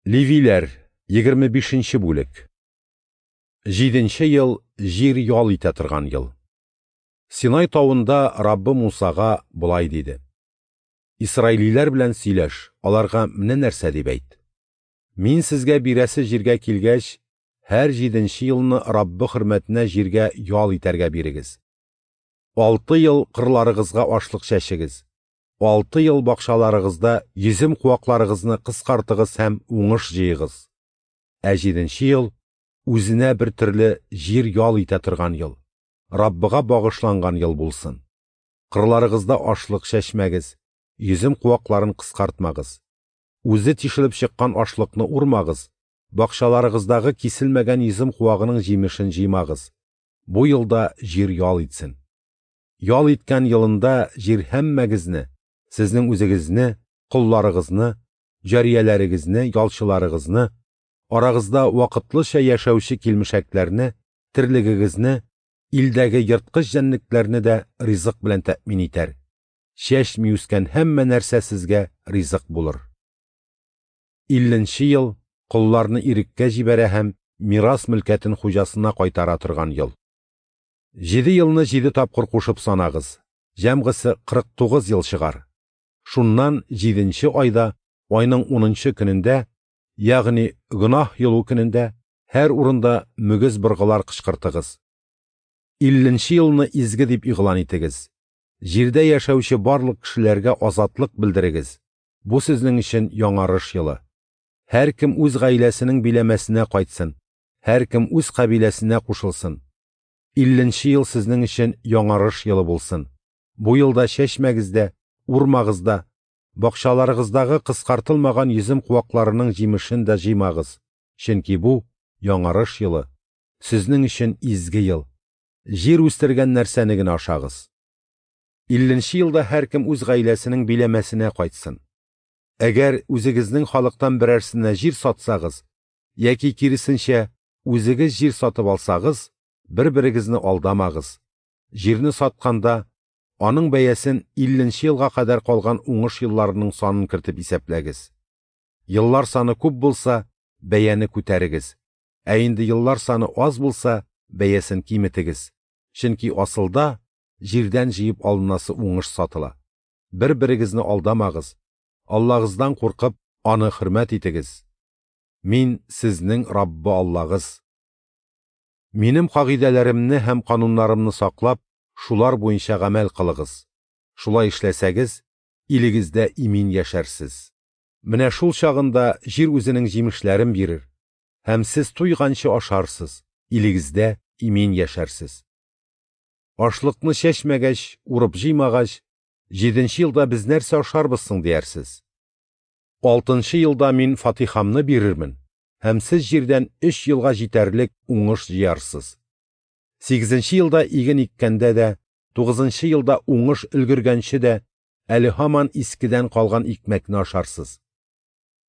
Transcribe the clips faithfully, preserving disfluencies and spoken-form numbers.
Левиләр, егерме бишенче бүлек. Җиденче ел җир ял итә торган ел. Синай тавында Раббы Мусага болай диде: Исраилиләр белән сөйләш, аларга менә нәрсә дип әйт. Мин сезгә бирәсе җиргә килгәч, һәр җиденче елны Раббы хөрмәтенә җиргә ял итәргә бирегез. Алты ел кырларыгызга ашлык чәчегез. Алты ел бакчаларыгызда йөзем куакларыгызны кыскартыгыз һәм уңыш җыегыз. Ә җиденче ел үзенә бер төрле җир ял итә торган ел, Раббыга багышланган ел булсын. Кырларыгызда ашлык чәчмәгез, йөзем куакларын кыскартмагыз. Үзе тишелеп чыккан ашлыкны урмагыз, бакчаларыгыздагы киселмәгән йөзем куагының җимешен җыймагыз. Бу елда җир ял итсен. Ял иткән елында җир һәммәгезне, сезнең үзегезне, колларыгызны, җарияләрегезне, ялчыларыгызны, арагызда вакытлыча яшәүче килмешәкләрне, терлегегезне, илдәге ерткыч җәнлекләрне дә ризык белән тәэмин итәр. Чәчми үскән һәммә нәрсә сезгә ризык булыр. Илленче ел колларны иреккә җибәрә һәм мирас мөлкәтен хуҗасына кайтара торган ел. Җиде елны җиде тапкыр кушып санагыз, җәмгысы кырык тугыз ел чыгар. Шуннан җиденче айда, айның унынчы көнендә, ягъни гөнаһ йолу көнендә, һәр урында мөгез быргылар кычкыртыгыз. Илленче елны изге дип игълан итегез. Җирдә яшәүче барлык кешеләргә азатлык белдерегез. Бу сезнең өчен яңарыш елы. Һәркем үз гаиләсенең биләмәсенә кайтсын, һәркем үз кабиләсенә кушылсын. Илленче ел сезнең өчен яңарыш елы булсын. Бу елда чәчмәгез дә, урмагыз да, бакчаларыгыздагы кыскартылмаган йөзем куакларының җимешен дә җыймагыз. Чөнки бу яңарыш елы, сезнең өчен изге ел. Җир үстергән нәрсәне генә ашагыз. Илленче елда һәркем үз гаиләсенең биләмәсенә кайтсын. Әгәр үзегезнең халыктан берәрсенә җир сатсагыз, яки киресенчә үзегез җир сатып алсагыз, бер-берегезне алдамагыз. Җирне сатканда аның бәясен илленче елга кадәр калган уңыш елларының санын кертеп исәпләгез. Еллар саны күп булса, бәяне күтәрегез. Ә инде еллар саны аз булса, бәясен киметегез. Чөнки асылда җирдән җыеп алынасы уңыш сатыла. Бер-берегезне алдамагыз. Аллагыздан куркып, аны хөрмәт итегез. Мин сезнең Раббы Аллагыз. Минем кагыйдәләремне һәм кануннарымны саклап, шулар буенча гамәл кылыгыз. Шулай эшләсәгез, илегездә имин яшәрсез. Менә шул чагында җир үзенең җимешләрен бирер, һәм сез туйганчы ашарсыз, илегездә имин яшәрсез. Ашлыкны чәчмәгәч, урып җыймагач, җиденче елда без нәрсә ашарбыз соң диярсез. Алтынчы елда мин фатихамны бирермен, һәм сез җирдән өч елга җитәрлек уңыш җыярсыз. Сигезенче елда иген иккәндә дә, тугызынчы елда уңыш өлгергәнче дә, әле һаман искедән калган икмәкне ашарсыз.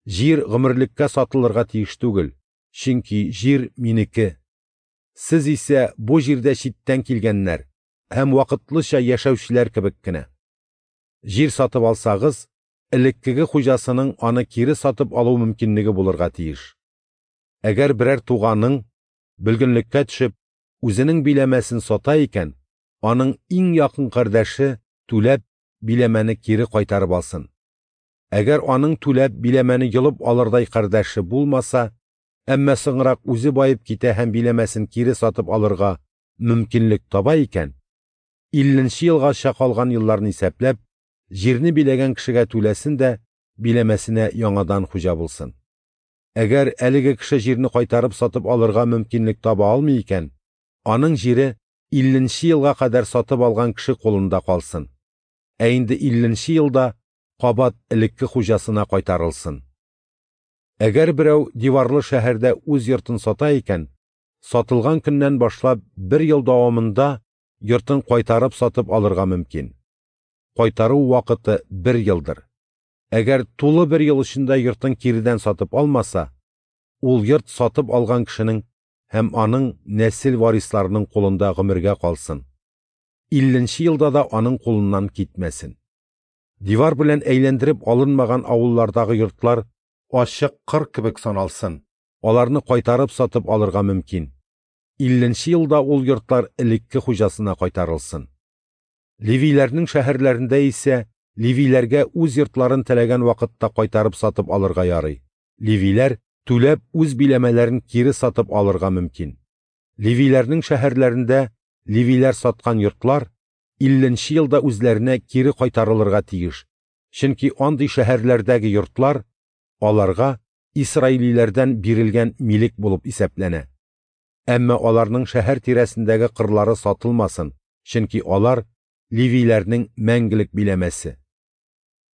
Җир гомерлеккә сатылырга тиеш түгел, чөнки җир минеке. Сез исә бу җирдә читтән килгәннәр һәм вакытлыча яшәүчеләр кебек кенә. Җир сатып алсагыз, элеккеге хуҗасының аны кире сатып алу мөмкинлеге булырга тиеш. Әгәр берәр туганың бөлгенлеккә төшеп, үзенең биләмәсен сата икән, аның иң якын кардәше түләп биләмәне кире кайтарып алсын. Әгәр аның түләп биләмәне йолып алырдай кардәше булмаса, әмма соңрак үзе баеп китә һәм биләмәсен кире сатып алырга мөмкинлек таба икән, илленче елгача калган елларны исәпләп, җирне биләгән кешегә түләсен дә биләмәсенә яңадан хуҗа булсын. Әгәр әлеге кеше җирне кайтарып сатып алырга мөмкинлек таба алмый икән, аның җире илленче елга кадәр сатып алган кеше кулында калсын. Ә инде илленче елда кабат элекке хуҗасына кайтарылсын. Әгәр берәү диварлы шәһәрдә үз йортын сата икән, сатылган көннән башлап бер ел дәвамында йортын кайтарып сатып алырга мөмкин. Кайтару вакыты бер елдыр. Әгәр тулы бер ел эчендә йортын киредән сатып алмаса, ул йорт сатып алган кешенең һәм аның нәсел варисларының кулында гомергә калсын. Илленче елда да аның кулыннан китмәсен. Дивар белән әйләндереп алынмаган авыллардагы йортлар ачык кыр кебек саналсын, аларны кайтарып сатып алырга мөмкин. Илленче елда ул йортлар элекке хуҗасына кайтарылсын. Левиләрнең шәһәрләрендә исә левиләргә үз йортларын теләгән вакытта кайтарып сатып алырга ярый. Левиләр түләп үз биләмәләрен кире сатып алырга мөмкин. Левиләрнең шәһәрләрендә левиләр саткан йортлар илленче елда үзләренә кире кайтарылырга тиеш. Чөнки андый шәһәрләрдәге йортлар аларга исраилиләрдән бирелгән милек булып исәпләнә. Әмма аларның шәһәр тирәсендәге кырлары сатылмасын, чөнки алар левиләрнең мәңгелек биләмәсе.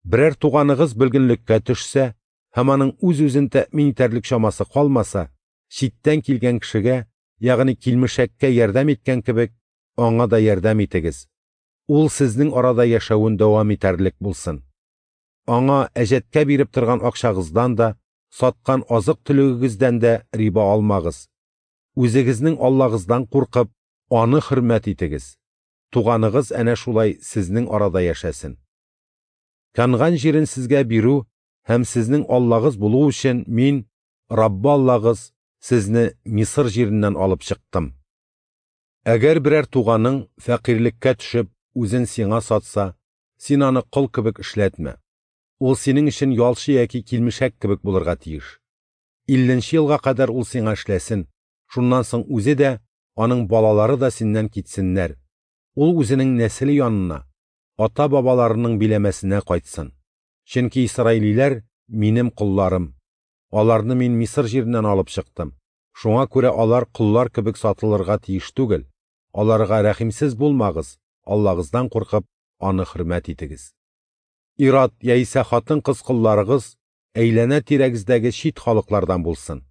Берәр туганыгыз бөлгенлеккә төшсә һәм аның үз-үзен тәэмин итәрлек чамасы калмаса, читтән килгән кешегә, ягъни килмешәккә ярдәм иткән кебек, аңа да ярдәм итегез. Ул сезнең арада яшәвен дәвам итәрлек булсын. Аңа әҗәткә биреп торган акчагыздан да, саткан азык-төлегегездән дә риба алмагыз. Үзегезнең Аллагыздан куркып, аны хөрмәт итегез. Туганыгыз әнә шулай сезнең арада яшәсен. Канган җирен сезгә бирү һәм сезнең Аллагыз булу өчен мин, Раббы Аллагыз, сезне Мисыр җиреннән алып чыктым. Әгәр берәр туганың фәкыйрьлеккә төшеп, үзен сиңа сатса, син аны кол кебек эшләтмә. Ул синең өчен ялчы яки килмешәк кебек булырга тиеш. Илленче елга кадәр ул сиңа эшләсен, шуннан соң үзе дә, аның балалары да синнән китсеннәр. Ул үзенең нәселе янына, ата-бабаларының биләмәсенә кайтсын. Чөнки исраилиләр минем колларым. Аларны мин Мисыр җиреннән алып чыктым. Шуңа күрә алар коллар кебек сатылырга тиеш түгел. Аларга рәхимсез булмагыз, Аллагыздан куркып, аны хөрмәт итегез. Ир-ат яисә хатын-кыз колларыгыз әйләнә-тирәгездәге чит халыклардан булсын.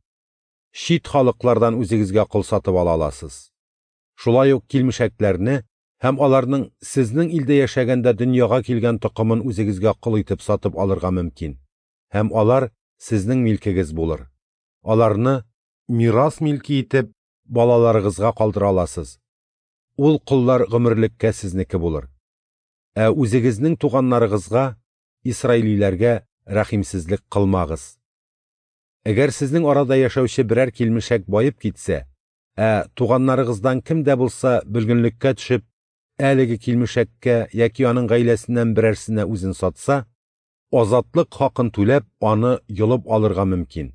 Чит халыклардан үзегезгә кол сатып ала аласыз. Шулай ук килмешәкләрне һәм аларның сезнең илдә яшәгәндә дөньяга килгән токымын үзегезгә кол итеп сатып алырга мөмкин. Һәм алар сезнең милкегез булыр. Аларны мирас милке итеп балаларыгызга калдыра аласыз. Ул коллар гомерлеккә сезнеке булыр. Ә үзегезнең туганнарыгызга, исраилиләргә рәхимсезлек кылмагыз. Әгәр сезнең арада яшәүче берәр килмешәк баеп китсә, ә туганнарыгыздан кем дә булса бөлгенлеккә төшеп, әлеге килмешәккә яки аның гаиләсеннән берәрсенә үзен сатса, азатлык хакын түләп, аны йолып алырга мөмкин.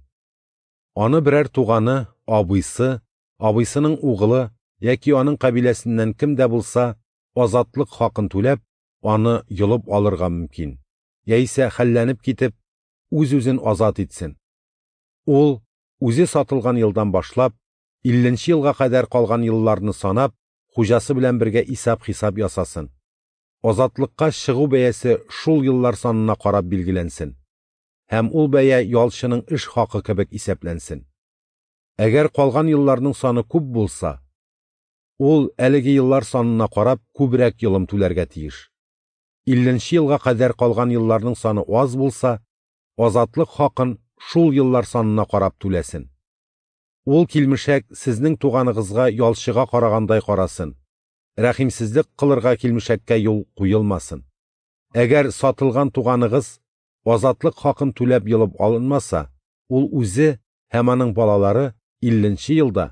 Аны берәр туганы, абыйсы, абыйсының угылы яки аның кабиләсеннән кем дә булса азатлык хакын түләп, аны йолып алырга мөмкин. Яисә хәлләнеп китеп, үз-үзен азат итсен. Ул үзе сатылган елдан башлап, илленче елга кадәр калган елларны санап, хуҗасы белән бергә исәп-хисап ясасын. Азатлыкка чыгу бәясе шул еллар санына карап билгеләнсен. Һәм ул бәя ялчының эш хакы кебек исәпләнсен. Әгәр калган елларның саны күп булса, ул әлеге еллар санына карап күбрәк йолым түләргә тиеш. Илленче елга кадәр калган елларның саны аз булса, азатлык хакын шул еллар санына карап түләсен. Ул килмешәк сезнең туганыгызга ялчыга карагандай карасын. Рәхимсезлек кылырга килмешәккә юл куелмасын. Әгәр сатылган туганыгыз азатлык хакын түләп йолып алынмаса, ул үзе һәм аның балалары илленче елда,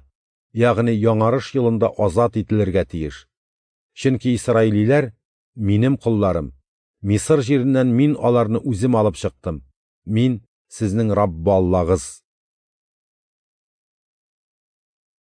ягъни яңарыш елында азат ителергә тиеш. Чөнки исраилиләр минем колларым. Мисыр җиреннән мин аларны үзем алып чыктым. Мин сезнең Раббы Аллагыз.